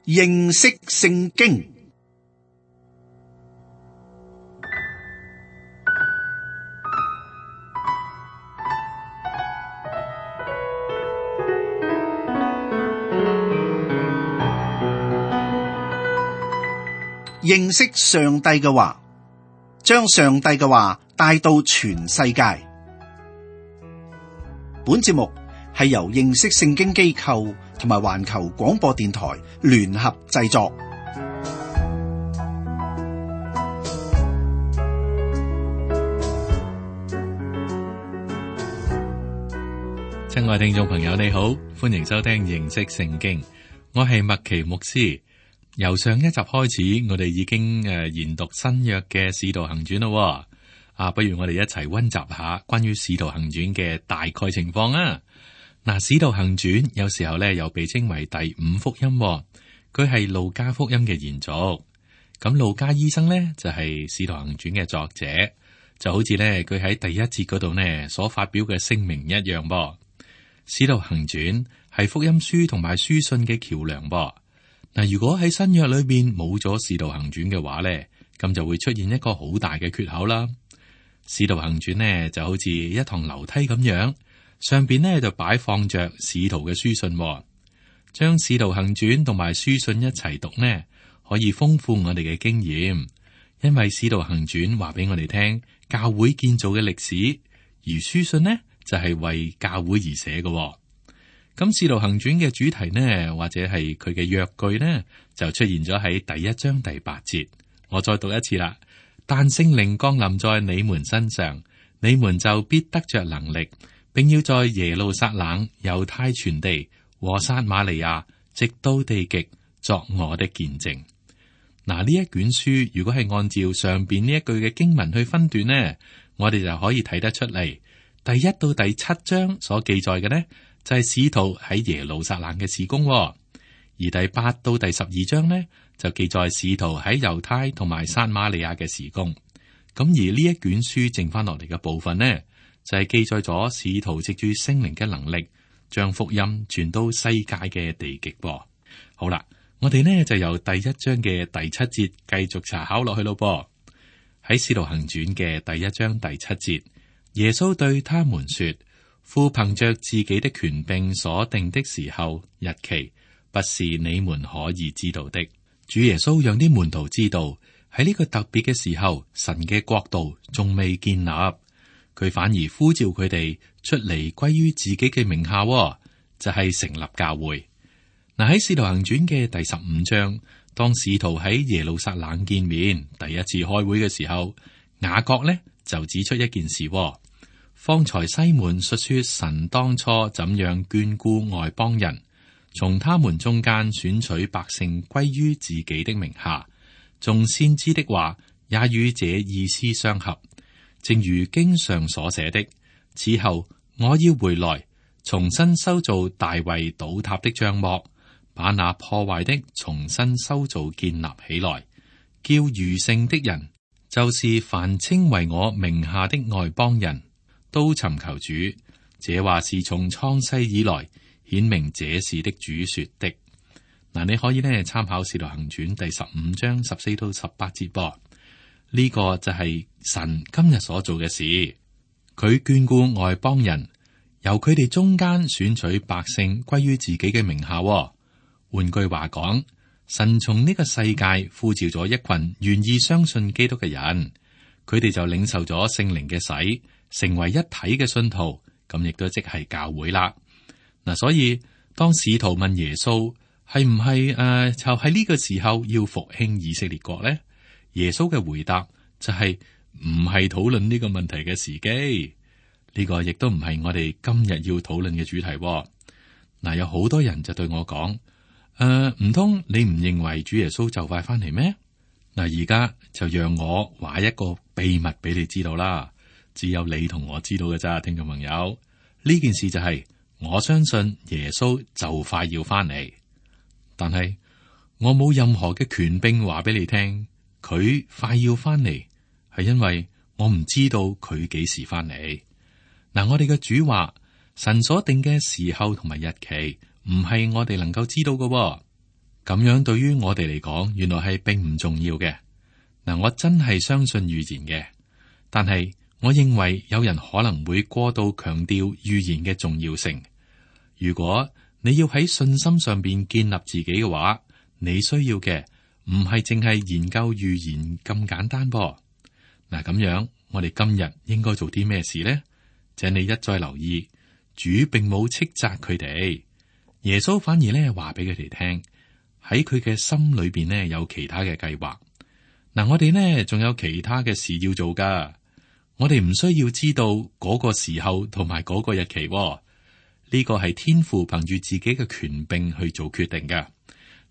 認識聖經。認識上帝嘅話，將上帝嘅話帶到全世界。本節目係由認識聖經機構同埋環球廣播電台聯合製作。親愛聽眾朋友，你好，歡迎收聽認識聖經。我係麥奇牧師。由上一集開始，我哋已經研讀新約嘅使徒行傳咯。不如我哋一齊溫習下關於使徒行傳嘅大概情況啊。使徒行傳有時候咧又被稱為第五福音，佢係路加福音嘅延續。咁路加醫生呢，就係使徒行傳嘅作者，就好似咧佢喺第一節嗰度呢所發表嘅聲明一樣噃。使徒行傳係福音書同埋書信嘅橋樑噃。如果喺新約裏邊冇咗使徒行傳嘅話咧，咁就會出現一個好大嘅缺口啦。使徒行傳呢就好似一堂樓梯咁樣，上邊呢就擺放着使徒嘅書信，將使徒行傳同埋書信一齊讀呢，可以豐富我哋嘅經驗。因為使徒行傳話俾我哋聽教會建造嘅歷史，而書信呢就係為教會而寫嘅。咁使徒行傳嘅主題呢，或者係佢嘅約句呢，就出現咗喺第一章第8節。我再讀一次啦。但聖靈降臨在你們身上，你們就必得着能力，並要在耶路撒冷、猶太全地和撒瑪利亞，直到地極，作我的見證。呢一卷書如果係按照上邊呢一句嘅經文去分段呢，我哋就可以睇得出嚟，第1到第7章所記載嘅呢，就係使徒喺耶路撒冷嘅事工，而第8到第12章呢，就記載使徒喺猶太同埋撒瑪利亞嘅事工。咁而呢一卷書剩翻落嚟嘅部分呢，就係記載咗使徒藉住聖靈嘅能力，將福音傳到世界嘅地極。好啦，我哋呢就由第1章嘅第7節繼續查考落去咯。喺使徒行傳嘅第1章第7節，耶穌對他們說：父憑着自己的權柄所定的時候日期，不是你們可以知道的。主耶穌讓啲門徒知道喺呢個特別嘅時候，神嘅國度仲未建立，佢反而呼召佢哋出嚟歸於自己嘅名下，就係成立教會。喺使徒行傳嘅第15章，當使徒喺耶路撒冷見面第一次開會嘅時候，雅各呢就指出一件事。方才西門述說神當初怎樣眷顧外邦人，從他們中間選取百姓歸於自己的名下，眾先知的話也與這意思相合，正如經上所寫的：此後我要回來，重新修造大衛倒塌的帳幕，把那破壞的重新修造建立起來，叫餘剩的人，就是凡稱為我名下的外邦人，都尋求主。這話是從創世以來顯明這事的主說的。你可以呢參考《使徒行傳》第15章14到18節噃。呢個就係神今日所做嘅事，佢眷顧外邦人，由佢哋中間選取百姓歸於自己嘅名下。換句話講，神從呢個世界呼召咗一群願意相信基督嘅人，佢哋就領受咗聖靈嘅洗，成為一體嘅信徒，咁亦都即係教會啦。所以當使徒問耶穌係唔係就喺呢個時候要復興以色列國呢？耶穌嘅回答就係唔係討論呢個問題嘅時機，呢個亦都唔係我哋今日要討論嘅主題。有好多人就對我講：唔通你唔認為主耶穌就快翻嚟咩？而家就讓我話一個秘密俾你知道啦。只有你同我知道嘅咋，聽眾朋友。呢件事就係我相信耶穌就快要翻嚟，但係我冇任何嘅權柄話俾你聽，佢快要翻嚟，係因為我唔知道佢幾時翻嚟。我哋嘅主話，神所定嘅時候同埋日期，唔係我哋能夠知道嘅。咁樣對於我哋嚟講，原來係並唔重要嘅。嗱，我真係相信預言嘅，但係我認為有人可能會過度強調預言嘅重要性。如果你要喺信心上邊建立自己嘅話，你需要嘅唔係淨係研究預言咁簡單噃。嗱，咁樣我哋今日應該做啲咩事呢？請你一再留意，主並冇斥責佢哋，耶穌反而咧話俾佢哋聽，喺佢嘅心裏邊呢有其他嘅計劃。嗱，我哋呢仲有其他嘅事要做噶，我哋唔需要知道嗰個時候同埋嗰個日期喎，呢個係天父憑住自己嘅權柄去做決定噶。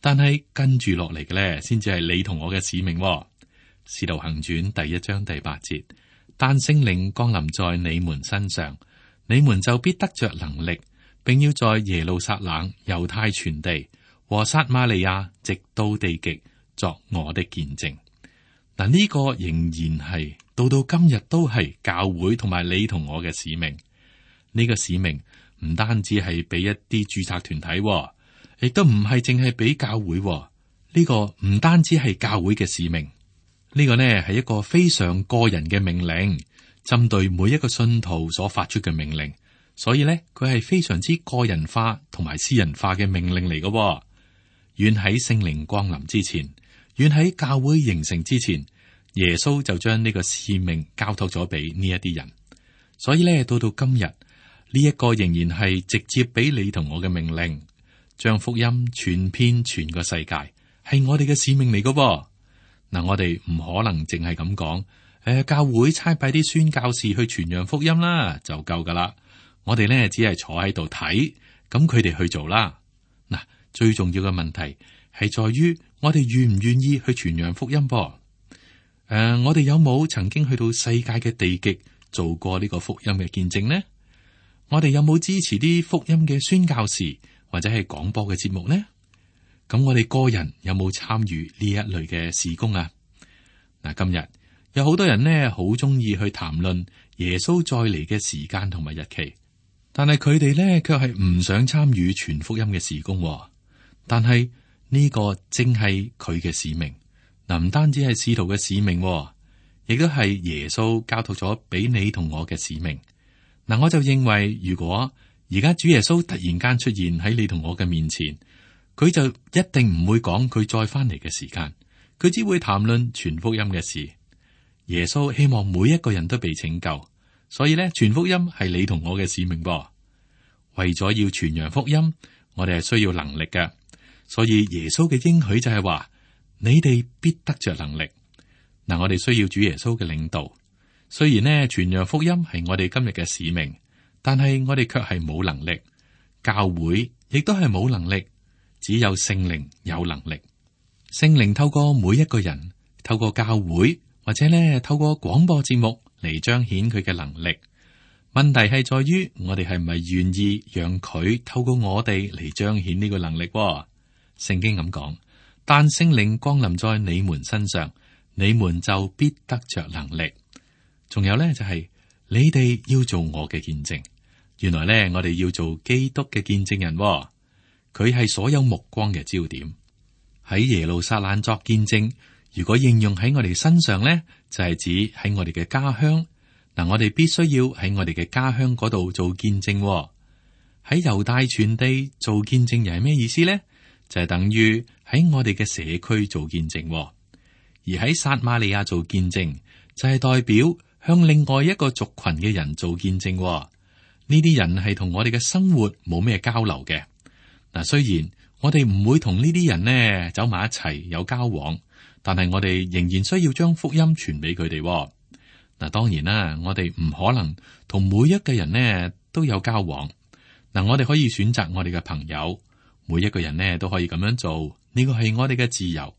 但係跟住落嚟嘅咧，先至係你同我嘅使命喎。使徒行傳第1章第8節，但聖靈降臨在你們身上，你們就必得着能力，並要在耶路撒冷、猶太全地和撒瑪利亞直到地極作我的見證。嗱，呢個仍然係到今日都係教會同埋你同我嘅使命。呢個使命唔單止係俾一啲註冊團體，亦都唔係淨係俾教會。呢個唔單止係教會嘅使命，呢個呢係一個非常個人嘅命令，針對每一個信徒所發出嘅命令。所以呢，佢係非常之個人化同埋私人化嘅命令嚟嘅。遠喺聖靈降臨之前，遠喺教會形成之前，耶穌就將呢個使命交託咗俾呢一啲人。所以咧，到今日呢一個仍然係直接俾你同我嘅命令，將福音傳遍全個世界，係我哋嘅使命嚟嘅。嗱，我哋唔可能淨係咁講，教會差派啲宣教士去傳揚福音啦，就夠噶啦。我哋咧只係坐喺度睇，咁佢哋去做啦。嗱，最重要嘅問題係在於我哋願唔願意去傳揚福音噃？我哋有冇曾經去到世界嘅地極做過呢個福音嘅見證呢？我哋有冇支持啲福音嘅宣教士或者係廣播嘅節目呢？咁我哋個人有冇參與呢一類嘅事工啊？嗱，今日有好多人呢，好中意去談論耶穌再嚟嘅時間同埋日期，但係佢哋呢，卻係唔想參與傳福音嘅事工。但係呢個正係佢嘅使命。嗱，唔單止係使徒嘅使命，亦都係耶穌交託咗俾你同我嘅使命。嗱，我就認為，如果而家主耶穌突然間出現喺你同我嘅面前，佢就一定唔會講佢再翻嚟嘅時間，佢只會談論傳福音嘅事。耶穌希望每一個人都被拯救，所以咧，傳福音係你同我嘅使命噃。為咗要傳揚福音，我哋係需要能力嘅，所以耶穌嘅應許就係話，你哋必得着能力。嗱，我哋需要主耶穌嘅領導。雖然呢，傳揚福音係我哋今日嘅使命，但係我哋卻係冇能力，教會亦都係冇能力。只有聖靈有能力，聖靈透過每一個人，透過教會或者呢透過廣播節目嚟彰顯佢嘅能力。問題係在於我哋係咪願意讓佢透過我哋嚟彰顯呢個能力？聖經咁講，但聖靈降臨在你們身上，你們就必得着能力。仲有呢，就係你哋要做我嘅見證。原來呢，我哋要做基督嘅見證人。佢係所有目光嘅焦點，喺耶路撒冷作見證。如果應用喺我哋身上呢，就係指喺我哋嘅家鄉。嗱，我哋必須要喺我哋嘅家鄉嗰度做見證。喺猶大全地做見證又係咩意思呢？就係等於喺我哋嘅社區做見證，而喺撒瑪利亞做見證就係代表向另外一個族群嘅人做見證。呢啲人係同我哋嘅生活冇咩交流嘅。嗱，雖然我哋唔會同呢啲人呢走埋一齊有交往，但係我哋仍然需要將福音傳俾佢哋。嗱，當然啦，我哋唔可能同每一個人呢都有交往。嗱，我哋可以選擇我哋嘅朋友，每一個人呢都可以咁樣做，呢個係我哋嘅自由。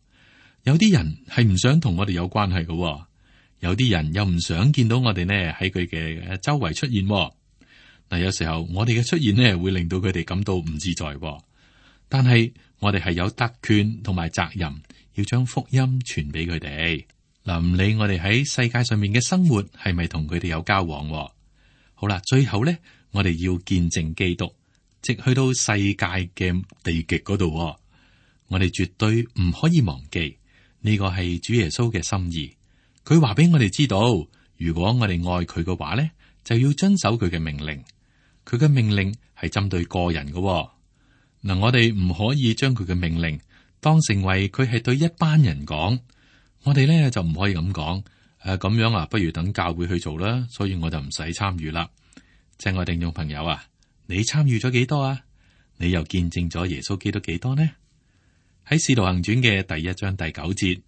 有啲人係唔想同我哋有關係嘅，有啲人又唔想見到我哋呢喺佢嘅周圍出現。嗱，有時候我哋嘅出現呢，會令到佢哋感到唔自在。但係我哋係有特權同埋責任，要將福音傳俾佢哋。嗱，唔理我哋喺世界上面嘅生活係咪同佢哋有交往。好啦，最後呢，我哋要見證基督，直去到世界嘅地極嗰度。我我哋絕對唔可以忘記呢個係主耶穌嘅心意。佢話俾我哋知道，如果我哋愛佢嘅話咧，就要遵守佢嘅命令。佢嘅命令係針對個人嘅嗱，我哋唔可以將佢嘅命令當成為佢係對一班人講。我哋咧就唔可以咁講。咁樣啊，不如等教會去做啦，所以我就唔使參與啦。親愛聽眾朋友啊，你參與咗幾多啊？你又見證咗耶穌基督幾多呢？喺《使徒行傳》嘅第1章第9節，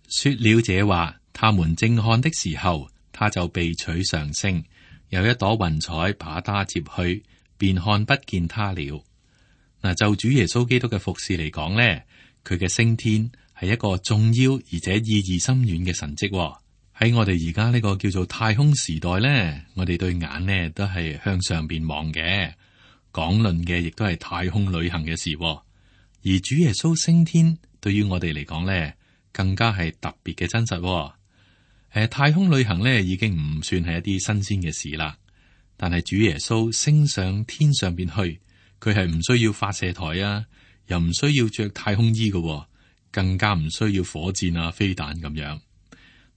說了這話，他們正看的時候，他就被取上升，有一朵雲彩把他接去，便看不見他了。嗱，就主耶穌基督嘅服侍嚟講呢，佢嘅升天係一個重要而且意義深遠嘅神蹟。喺我哋而家呢個叫做太空時代呢，我哋對眼呢都係向上邊望嘅，講論嘅亦都係太空旅行嘅事。而主耶穌升天對於我哋嚟講呢，更加係特別嘅真實。太空旅行呢已經唔算係一啲新鮮嘅事啦。但係主耶穌升上天上邊去，佢係唔需要發射台啊，又唔需要着太空衣嘅，更加唔需要火箭啊、飛彈咁樣。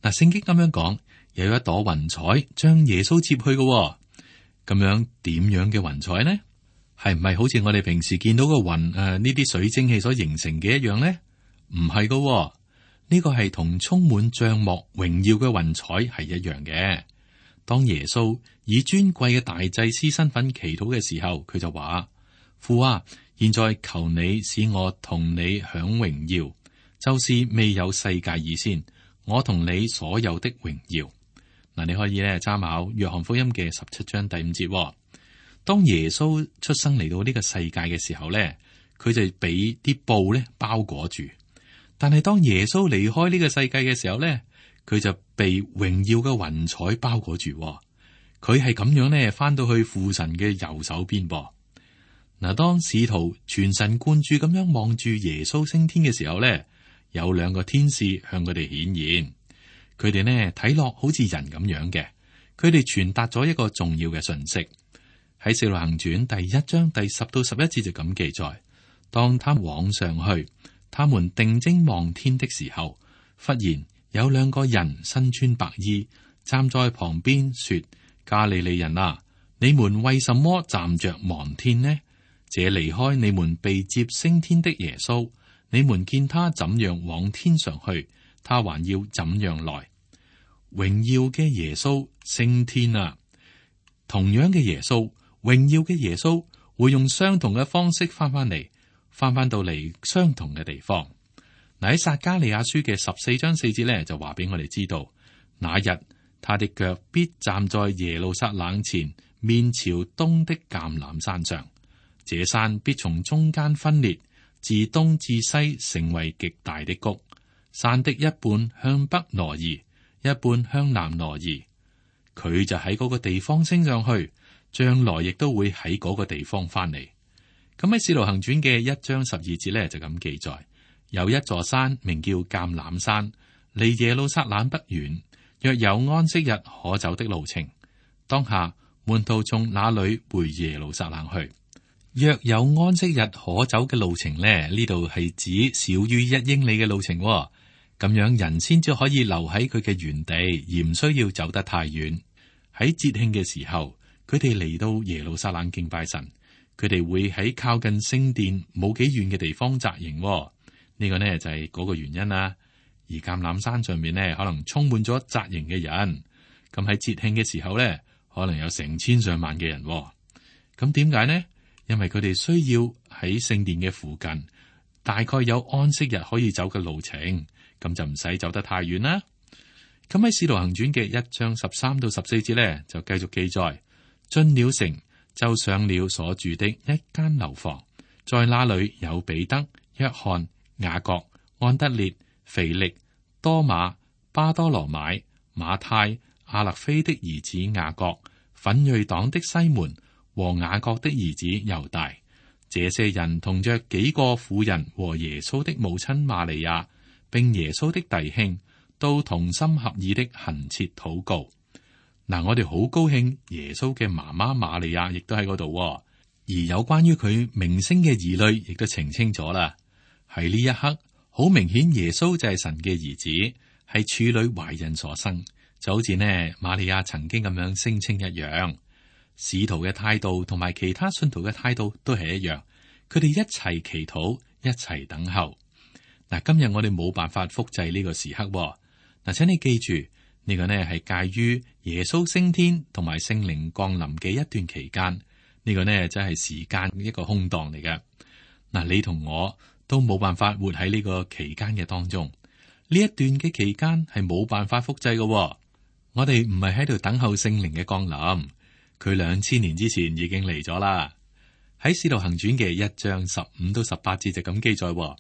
嗱，聖經咁樣講，有一朵雲彩將耶穌接去嘅，咁樣點樣嘅雲彩呢？係唔係好似我哋平時見到個雲呢啲水蒸氣所形成嘅一樣呢？唔係嘅，呢個係同充滿帳幕榮耀嘅雲彩係一樣嘅。當耶穌以尊貴嘅大祭司身份祈禱嘅時候，佢就話：父啊，現在求你使我同你享榮耀，就是未有世界以先。我同你所有的榮耀。嗱，你可以咧參考約翰福音嘅17章第5節。當耶穌出生嚟到呢個世界嘅時候咧，佢就俾啲布咧包裹住。但係當耶穌離開呢個世界嘅時候咧，佢就被榮耀嘅雲彩包裹住。佢係咁樣咧翻到去父神嘅右手邊噃。嗱，當使徒全神貫注咁樣望住耶穌升天嘅時候咧，有2個天使向佢哋顯現，佢哋呢睇落好似人咁樣嘅，佢哋傳達咗一個重要嘅信息。喺《使徒行傳》第1章第10到11節就咁記載：當他往上去，他們定睛望天的時候，忽然有2個人身穿白衣站在旁邊，說：加利利人啊，你們為什麼站着望天呢？這離開你們被接升天的耶穌，你們見他怎樣往天上去，他還要怎樣來。榮耀嘅耶穌升天啊！同樣嘅耶穌，榮耀嘅耶穌會用相同嘅方式翻到嚟相同嘅地方。嗱，喺撒迦利亞書嘅14章4節咧，就話俾我哋知道，那日他的腳必站在耶路撒冷前面朝東的橄欖山上，這山必從中間分裂，自東至西成為極大的谷，山的一半向北挪移，一半向南挪移。佢就喺嗰個地方升上去，將來亦都會喺嗰個地方翻嚟。咁喺《使徒行傳》嘅1章12節咧就咁記載：有一座山名叫橄欖山，離耶路撒冷不遠，若有安息日可走的路程。當下門徒從那裏回耶路撒冷去。若有安息日可走嘅路程呢，呢度係指少於1英里嘅路程，咁樣人先至可以留喺佢嘅原地，而唔需要走得太遠。喺節慶嘅時候，佢哋嚟到耶路撒冷敬拜神，佢哋會喺靠近聖殿冇幾遠嘅地方紮營。呢個呢就係嗰個原因啦。而橄欖山上面呢，可能充滿咗紮營嘅人。咁喺節慶嘅時候呢，可能有成千上萬嘅人。咁點解呢？因為佢哋需要喺聖殿嘅附近，大概有安息日可以走嘅路程，咁就唔使走得太遠啦。咁喺《使徒行傳》嘅1章13到14節呢，就繼續記載：進了城，就上了所住的一間樓房，在那裏有彼得、約翰、雅各、安德烈、腓力、多馬、巴多羅買、馬太、亞勒菲的兒子雅各、奮銳黨的西門和雅各的兒子猶大。這些人同着幾個婦人和耶穌的母親瑪利亞，並耶穌的弟兄，都同心合意的懇切禱告。嗱，我哋好高興耶穌嘅媽媽瑪利亞亦都喺嗰度，而有關於佢名聲嘅疑慮亦都澄清咗啦。喺呢一刻，好明顯耶穌就係神嘅兒子，係處女懷孕所生，就好似呢瑪利亞曾經咁樣聲稱一樣。使徒嘅態度同埋其他信徒嘅態度都係一樣，佢哋一齊祈禱，一齊等候。嗱，今日我哋冇辦法複製呢個時刻。嗱，請你記住呢個呢係介於耶穌升天同埋聖靈降臨嘅一段期間，呢個呢真係時間一個空檔嚟嘅。嗱，你同我都冇辦法活喺呢個期間嘅當中，呢一段嘅期間係冇辦法複製嘅。我哋唔係喺度等候聖靈嘅降臨。佢2000年之前已經嚟咗啦。喺使徒行傳嘅1章15到18節就咁記載，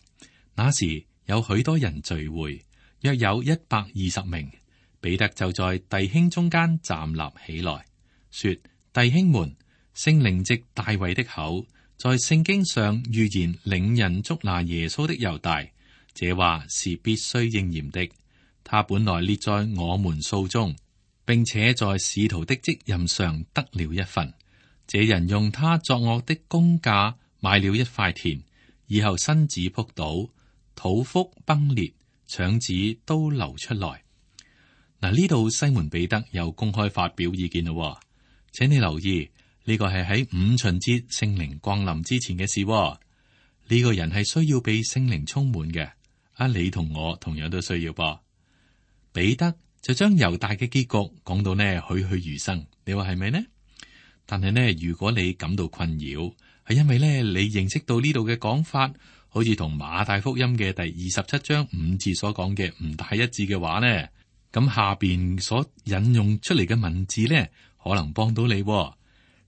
那時有許多人聚會，約有120名。彼得就在弟兄中間站立起來，說：弟兄們，聖靈藉大衛的口，在聖經上預言領人捉拿耶穌的猶大，這話是必須應驗的。他本來列在我們數中，並且在使徒的職任上得了一份。這人用他作惡的工價買了一塊田，以後身子仆倒，肚腹崩裂，腸子都流出來。嗱，呢度西門彼得又公開發表意見咯。請你留意，呢個係喺五旬節聖靈降臨之前嘅事。呢個人係需要被聖靈充滿嘅。你同我同樣都需要噃。彼得就將猶大嘅結局講到呢栩栩如生，你話係咪呢？但係呢，如果你感到困擾，係因為呢你認識到呢度嘅講法，好似同馬太福音嘅第27章5節所講嘅唔大一致嘅話呢，咁下邊所引用出嚟嘅文字呢，可能幫到你。呢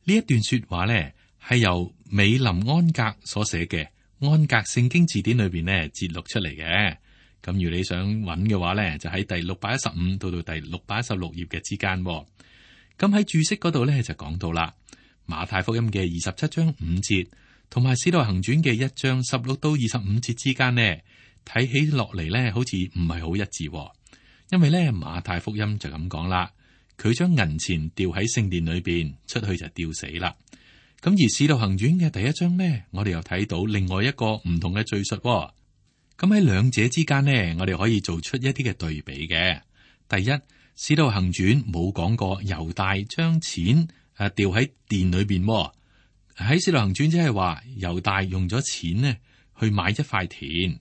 一段說話呢，係由美林安格所寫嘅安格聖經字典裏邊呢節錄出嚟嘅。咁如你想揾嘅話呢，就喺第615到第616頁嘅之間。咁喺注釋嗰度呢，就講到啦，馬太福音嘅27章5節同埋使徒行傳嘅1章16到25節之間呢，睇起落嚟呢，好似唔係好一致。因為呢，馬太福音就咁講啦，佢將銀錢掉喺聖殿裏邊，出去就吊死啦。咁而使徒行傳嘅第1章呢，我哋又睇到另外一個唔同嘅敘述。咁喺兩者之間呢，我哋可以做出一啲嘅對比嘅。第一，使徒行傳冇講過猶大將錢掉喺殿裏邊。喺使徒行傳即係話猶大用咗錢呢去買一塊田。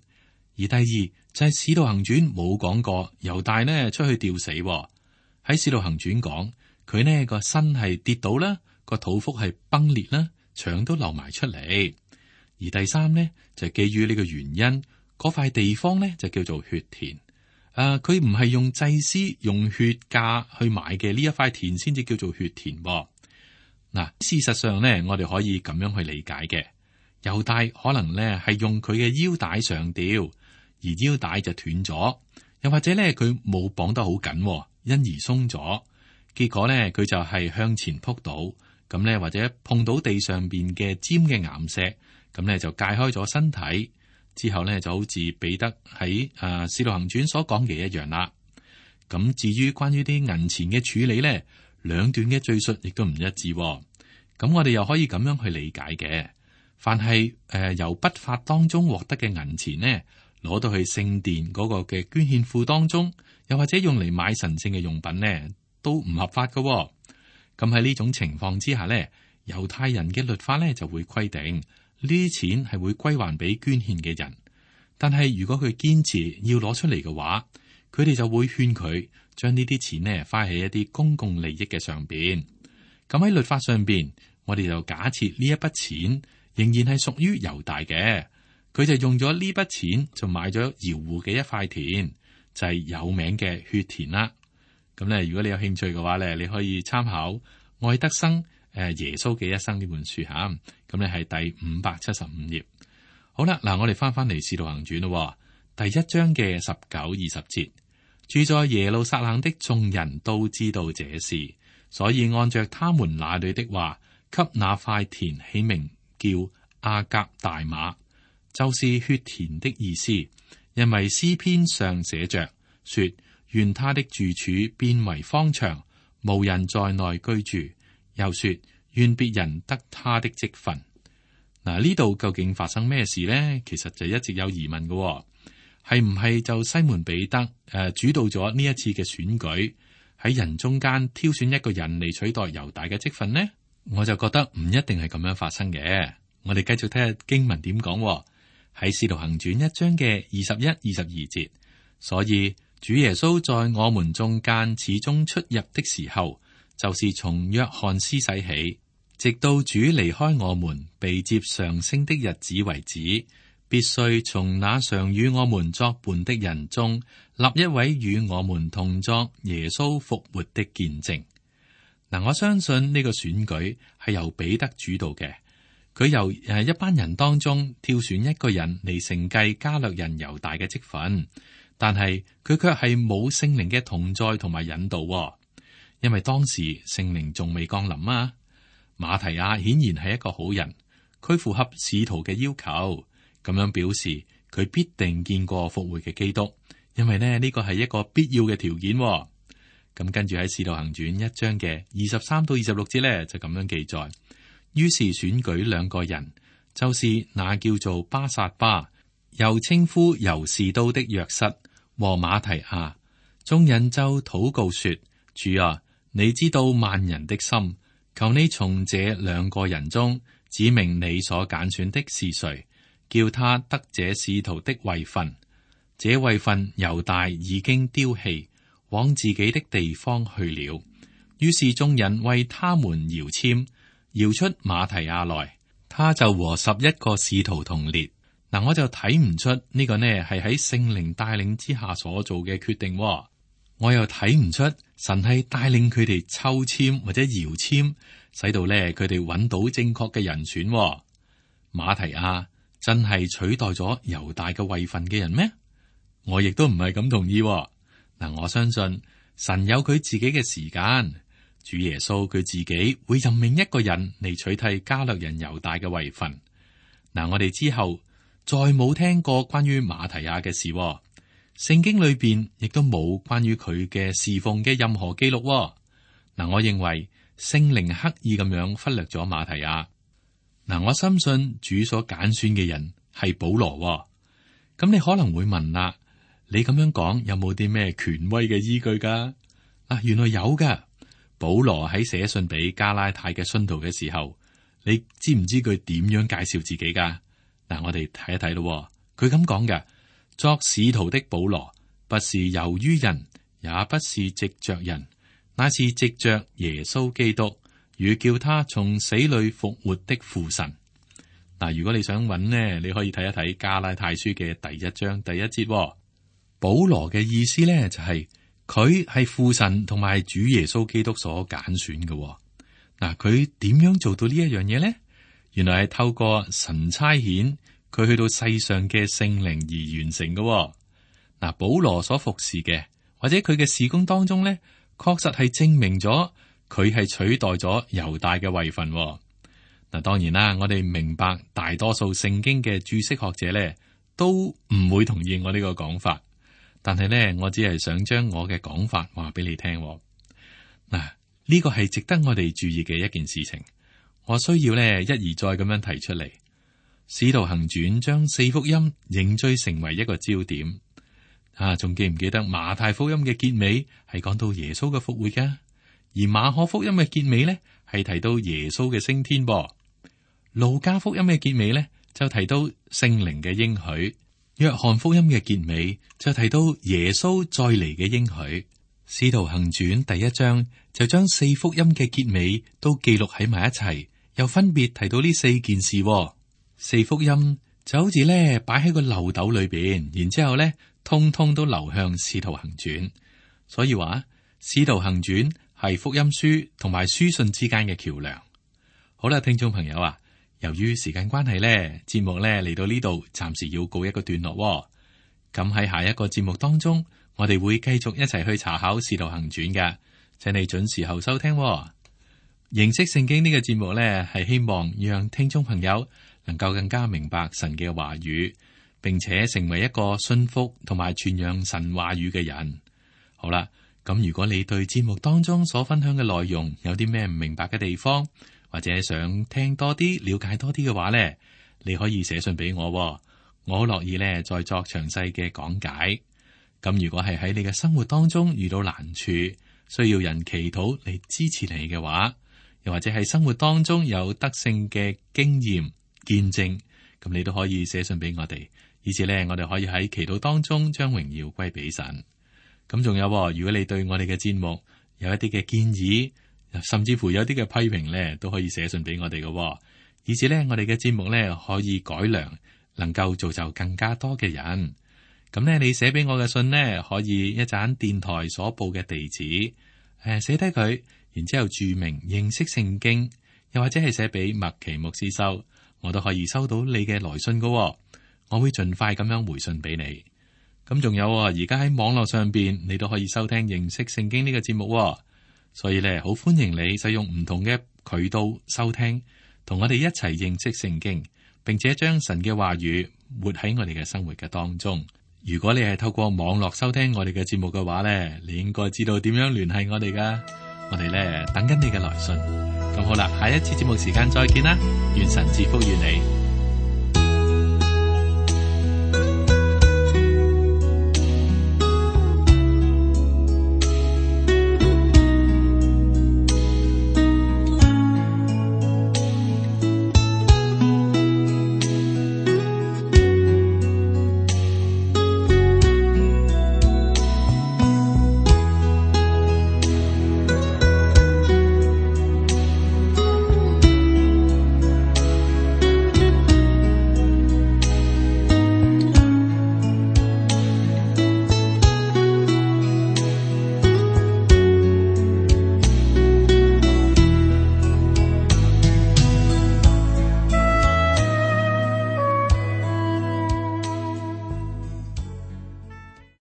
而第二就係使徒行傳冇講過猶大呢出去吊死。喺使徒行傳講佢呢個身係跌倒啦，個肚腹係崩裂啦，腸都流埋出嚟。而第三呢就係基於呢個原因。嗰塊地方咧就叫做血田，佢唔係用祭司用血價去買嘅呢一塊田先至叫做血田。嗱，事實上咧，我哋可以咁樣去理解嘅。猶大可能咧係用佢嘅腰帶上吊，而腰帶就斷咗，又或者咧佢冇綁得好緊，因而鬆咗。結果咧佢就係向前撲倒，咁咧或者碰到地上邊嘅尖嘅岩石，咁咧就解開咗身體。之後咧就好似彼得喺使徒行傳所講嘅一樣啦。咁至於關於啲銀錢嘅處理咧，兩段嘅敘述亦都唔一致。咁我哋又可以咁樣去理解嘅。凡係由不法當中獲得嘅銀錢呢，攞到去聖殿嗰個嘅捐獻庫當中，又或者用嚟買神聖嘅用品呢，都唔合法㗎。咁喺呢種情況之下呢，猶太人嘅律法呢就會規定。呢啲錢係會歸還俾捐獻嘅人，但係如果佢堅持要攞出嚟嘅話，佢哋就會勸佢將呢啲錢呢花喺一啲公共利益嘅上邊。咁喺律法上邊，我哋就假設呢一筆錢仍然係屬於猶大嘅，佢就用咗呢筆錢就買咗窯戶嘅一塊田，就係有名嘅血田啦。咁咧，如果你有興趣嘅話咧，你可以參考愛德生耶穌嘅一生呢本書吓。咁咧係第575頁。好啦，嗱，我哋翻嚟使徒行傳咯，第1章嘅19、20節，住在耶路撒冷的眾人都知道這事，所以按着他們那裏的話，給那塊田起名叫亞革大馬，就是血田的意思。因為詩篇上寫着說，願他的住處變為荒場，無人在內居住。又說，願別人得他的職分。嗱，呢度究竟發生咩事呢？其實就一直有疑問嘅，係唔係就西門彼得主導咗呢一次嘅選舉，喺人中間挑選一個人嚟取代猶大嘅職分呢？我就覺得唔一定係咁樣發生嘅。我哋繼續睇下經文點講，喺《使徒行傳》1章嘅21、22節。所以主耶穌在我們中間始終出入的時候，就是從約翰施洗起，直到主離開我們被接上升的日子為止，必須從那常與我們作伴的人中立一位與我們同作耶穌復活的見證。嗱，我相信呢個選舉係由彼得主導嘅，佢由一班人當中挑選一個人嚟承繼加略人猶大嘅職分，但係佢卻係冇聖靈嘅同在同埋引導，因為當時聖靈仲未降臨啊。馬提亞顯然係一個好人，佢符合使徒嘅要求，咁樣表示佢必定見過復活嘅基督，因為呢個係一個必要嘅條件。咁跟住喺《使徒行傳》1章嘅23到26節呢，就咁樣記載。於是選舉2個人，就是那叫做巴撒巴，又稱呼猶士都的約瑟和馬提亞。眾人就禱告說：主啊，你知道萬人的心，求你從這2個人中指明你所揀選的是誰，叫他得這使徒的位分。這位分猶大已經丟棄，往自己的地方去了。於是眾人為他們搖籤，搖出馬提亞來，他就和11個使徒同列。嗱，我就睇唔出呢個呢係喺聖靈帶領之下所做嘅決定，我又睇唔出神係帶領佢哋抽籤或者搖籤，使到呢佢哋揾到正確嘅人選。馬提亞真係取代咗猶大嘅位份嘅人咩？我亦都唔係咁同意。嗱，我相信神有佢自己嘅時間，主耶穌佢自己會任命一個人嚟取替加略人猶大嘅位份。嗱，我哋之後再冇聽過關於馬提亞嘅事，聖經裏邊亦都冇關於佢嘅侍奉嘅任何記錄。嗱，我認為聖靈刻意咁樣忽略咗馬提亞。嗱，我深信主所揀選嘅人係保羅。咁你可能會問啦，你咁樣講有冇啲咩權威嘅依據噶？原來有噶。保羅喺寫信俾加拉太嘅信徒嘅時候，你知唔知佢點樣介紹自己噶？嗱，我哋睇一睇咯。佢咁講嘅：作使徒的保羅，不是由於人，也不是藉着人，乃是藉着耶穌基督與叫他從死裏復活的父神。嗱，如果你想揾呢，你可以睇一睇加拉太書嘅第1章第1節。保羅嘅意思呢，就係佢係父神同埋主耶穌基督所揀選嘅。嗱，佢點樣做到呢一樣嘢呢？原來係透過神差遣佢去到世上嘅聖靈而完成嘅。嗱，保羅所服侍嘅或者佢嘅事工當中呢，確實係證明咗佢係取代咗猶大嘅位份。嗱，當然啦，我哋明白大多數聖經嘅注釋學者呢都唔會同意我呢個講法，但係呢，我只係想將我嘅講法話俾你聽。嗱，呢個係值得我哋注意嘅一件事情，我需要呢一而再咁樣提出嚟。使徒行傳將4福音凝聚成為一個焦點。仲記唔記得馬太福音嘅結尾係講到耶穌嘅復活噶？而馬可福音嘅結尾呢係提到耶穌嘅升天噃。路加福音嘅結尾呢就提到聖靈嘅應許。約翰福音嘅結尾就提到耶穌再嚟嘅應許。使徒行傳第1章就將4福音嘅結尾都記錄喺埋一齊，又分別提到呢4件事。4福音就好似咧擺喺個漏斗裏邊，然之後咧通通都流向使徒行傳。所以話使徒行傳係福音書同埋書信之間嘅橋樑。好啦，聽眾朋友啊，由於時間關係咧，節目咧嚟到呢度，暫時要告一個段落。咁喺下一個節目當中，我哋會繼續一齊去查考使徒行傳嘅，請你準時候收聽。認識聖經呢個節目咧，係希望讓聽眾朋友能夠更加明白神嘅話語，並且成為一個信服同埋傳揚神話語嘅人。好啦，咁如果你對節目當中所分享嘅內容有啲咩唔明白嘅地方，或者想聽多啲、了解多啲嘅話呢，你可以寫信俾我，我好樂意咧再作詳細嘅講解。咁如果係喺你嘅生活當中遇到難處，需要人祈禱嚟支持你嘅話，又或者係生活當中有得勝嘅經驗見證，咁你都可以寫信俾我哋，以至咧我哋可以喺祈禱當中將榮耀歸俾神。咁仲有，如果你對我哋嘅節目有一啲嘅建議，甚至乎有啲嘅批評咧，都可以寫信俾我哋嘅，以至咧我哋嘅節目咧可以改良，能夠造就更加多嘅人。咁咧，你寫俾我嘅信呢，可以一盞電台所報嘅地址，寫低佢，然之後注明認識聖經，又或者係寫俾麥奇牧師收，我都可以收到你嘅來信噶。我會盡快咁樣回信俾你。咁仲有，而家喺網絡上邊，你都可以收聽認識聖經呢個節目，所以咧好歡迎你使用唔同嘅渠道收聽，同我哋一齊認識聖經，並且將神嘅話語活喺我哋嘅生活嘅當中。如果你係透過網絡收聽我哋嘅節目嘅話呢，你應該知道點樣聯繫我哋噶。我哋呢等緊你嘅來信。咁好啦，下一次節目時間再見啦，願神賜福於你。